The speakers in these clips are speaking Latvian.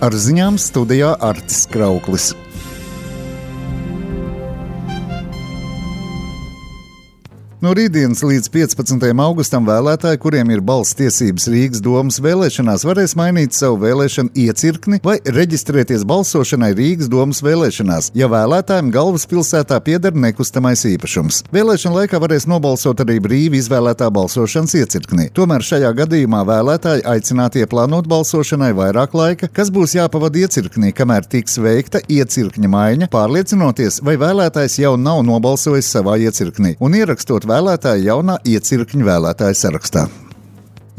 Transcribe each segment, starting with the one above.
Ar ziņām studijā Artis Krauklis. No rītdienas līdz 15. augustam vēlētāji, kuriem ir balss tiesības Rīgas domas vēlēšanās, varēs mainīt savu vēlēšanu iecirkni vai reģistrēties balsošanai Rīgas domas vēlēšanās, ja vēlētājiem galvaspilsētā pieder nekustamais īpašums. Vēlēšana laikā varēs nobalsot arī brīvi izvēlētā balsošanas iecirknī. Tomēr šajā gadījumā vēlētāji aicināti ieplānot balsošanai vairāk laika, kas būs jāpavada iecirknī, kamēr tiks veikta iecirkņa maiņa, pārliecinoties, vai vēlētājs jau nav nobalsojis savā iecirknī un ierakstot vēlētāju jaunā iecirkņu vēlētāju sarakstā.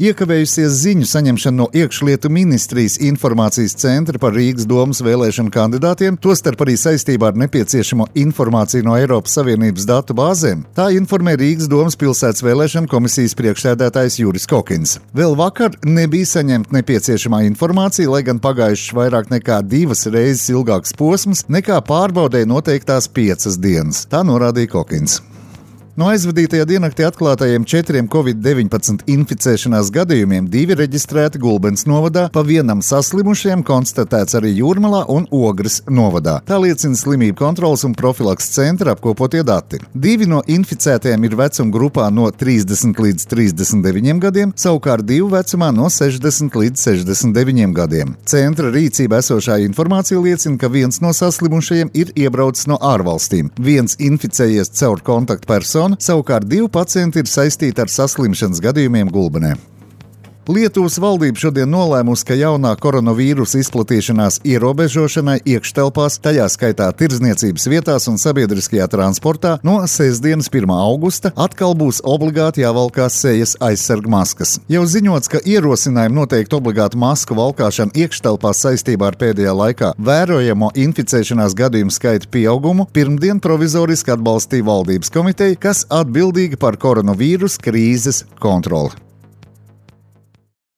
Iekavējusies ziņu saņemšana no iekšlietu ministrijas informācijas centra par Rīgas domas vēlēšanu kandidātiem, tostarp arī saistībā ar nepieciešamo informāciju no Eiropas Savienības datu bāzēm, tā informē Rīgas domas pilsētas vēlēšanu komisijas priekšsēdētājs Juris Kokins. Vēl vakar nebija saņemta nepieciešamā informācija, lai gan pagājušas vairāk nekā 2 reizes ilgāks posms nekā pārbaudēja noteiktās 5 dienas, tā norādīja Kokins. No aizvadītajā diennaktī atklātajiem 4 COVID-19 inficēšanās gadījumiem 2 reģistrēti Gulbenes novadā, pa vienam saslimušajam konstatēts arī Jūrmalā un Ogres novadā. Tā liecina slimību kontroles un profilaks centra apkopotie dati. 2 no inficētajiem ir vecuma grupā no 30 līdz 39 gadiem, savukārt 2 vecumā no 60 līdz 69 gadiem. Centra rīcībā esošā informācija liecina, ka viens no saslimušajiem ir iebraucis no ārvalstīm, viens inficējies caur kontaktpersonu, savukārt 2 pacienti ir saistīti ar saslimšanas gadījumiem Gulbenē. Lietuvas valdība šodien nolēmusi, ka jaunā koronavīrusa izplatīšanās ierobežošanai iekštelpās, tajā skaitā tirdzniecības vietās un sabiedriskajā transportā, no sestdienas 1. augusta atkal būs obligāti jāvalkās sejas aizsarg maskas. Jau ziņots, ka ierosinājumi noteikt obligātu masku valkāšanu iekštelpās saistībā ar pēdējā laikā vērojamo inficēšanās gadījumu skaita pieaugumu pirmdien provizoriski atbalstīja valdības komiteja, kas atbildīga par koronavīrusa krīzes kontroli.